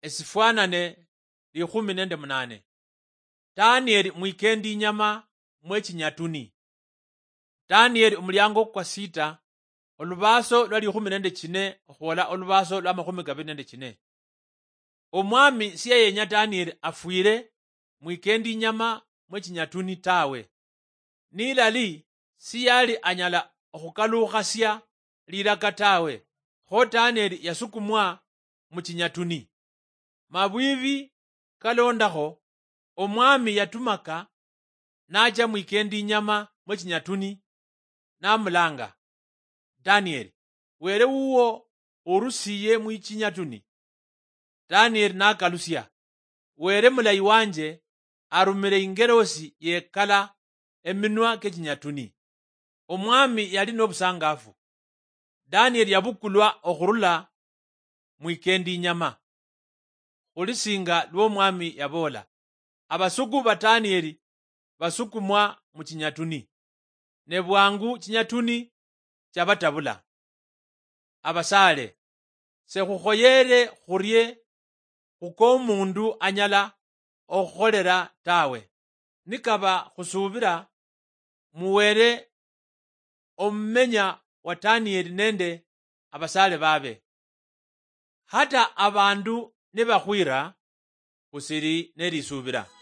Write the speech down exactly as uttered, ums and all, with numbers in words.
Esifwanane likhumi nende munane. Danieli mwikendi inyama mwechinyatuni. Danieli omuliango kwa sita, olubaso lwa likhumi nende chine okhwola olubaso lwa makhumi kabili nende chine. Omwami siyayenya Danieli afwile mwikendi inyama mwechinyatuni tawe. Nilali siyali anyala okhukalukhasia lilaka tawe, kho Danieli yasukumwa muchinyatuni. Mabwibi kalondakho, omwami yatumaka nacha mwikendi inyama mwechinyatuni, namulanga, "Danieli, Wele wuwo orusiye mwichinyatuni?" Danieli nakalusia, "Wele mulayi wanje arumile ingelosi yekala eminwa kechinyatuni." Omwami yali nobusangafu. Danieli yabukulwa okhurula mwikendi inyama, khuli singa lwomwami yaboola. Abasuku ba Danieli basukumwa muchinyatuni, ne bwangu chinyatuni chabatabula. Abasaale, sekhukhoyeere khurie khukomundu anyala okhukholera tawe. Nikaba khusuubira, muweere omumenya wa Danieli nende abasaale babe. Hata abandu nibakhwira, khusiri nelisuubira.